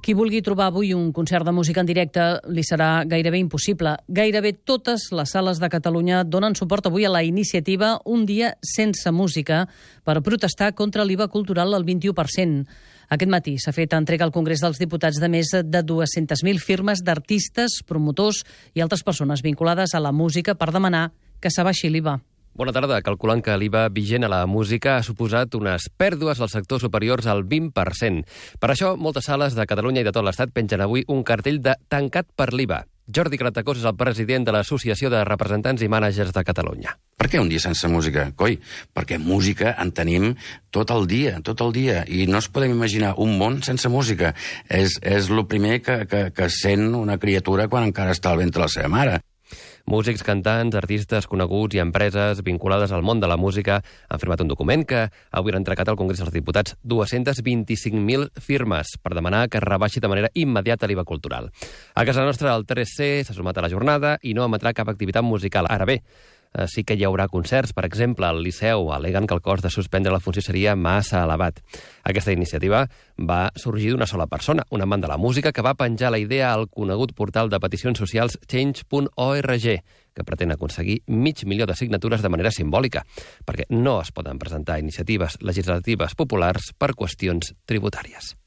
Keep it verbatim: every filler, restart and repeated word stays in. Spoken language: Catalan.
Qui vulgui trobar avui un concert de música en directe li serà gairebé impossible. Gairebé totes les sales de Catalunya donen suport avui a la iniciativa Un dia sense música per protestar contra l'I V A cultural al vint-i-u per cent. Aquest matí s'ha fet entrega al Congrés dels Diputats de més de dues-centes mil firmes d'artistes, promotors i altres persones vinculades a la música per demanar que s'abaixi l'I V A. Bona tarda. Calculant que l'I V A vigent a la música ha suposat unes pèrdues al sector superiors al vint per cent. Per això, moltes sales de Catalunya i de tot l'Estat pengen avui un cartell de tancat per l'I V A. Jordi Gratacós és el president de l'Associació de Representants i Mànagers de Catalunya. Per què un dia sense música? Coi, perquè música en tenim tot el dia, tot el dia, i no es podem imaginar un món sense música. És, és el primer que, que, que sent una criatura quan encara està al ventre de la seva mare. Músics, cantants, artistes coneguts i empreses vinculades al món de la música han firmat un document que avui han entregat al Congrés dels Diputats dues-centes vint-i-cinc mil firmes per demanar que es rebaixi de manera immediata l'I V A cultural. A casa nostra, el tres C s'ha sumat a la jornada i no emetrà cap activitat musical. Ara bé, sí que hi haurà concerts. Per exemple, al Liceu al·leguen que el cost de suspendre la funció seria massa elevat. Aquesta iniciativa va sorgir d'una sola persona, un amant de la música, que va penjar la idea al conegut portal de peticions socials change punt org, que pretén aconseguir mig milió de signatures de manera simbòlica, perquè no es poden presentar iniciatives legislatives populars per qüestions tributàries.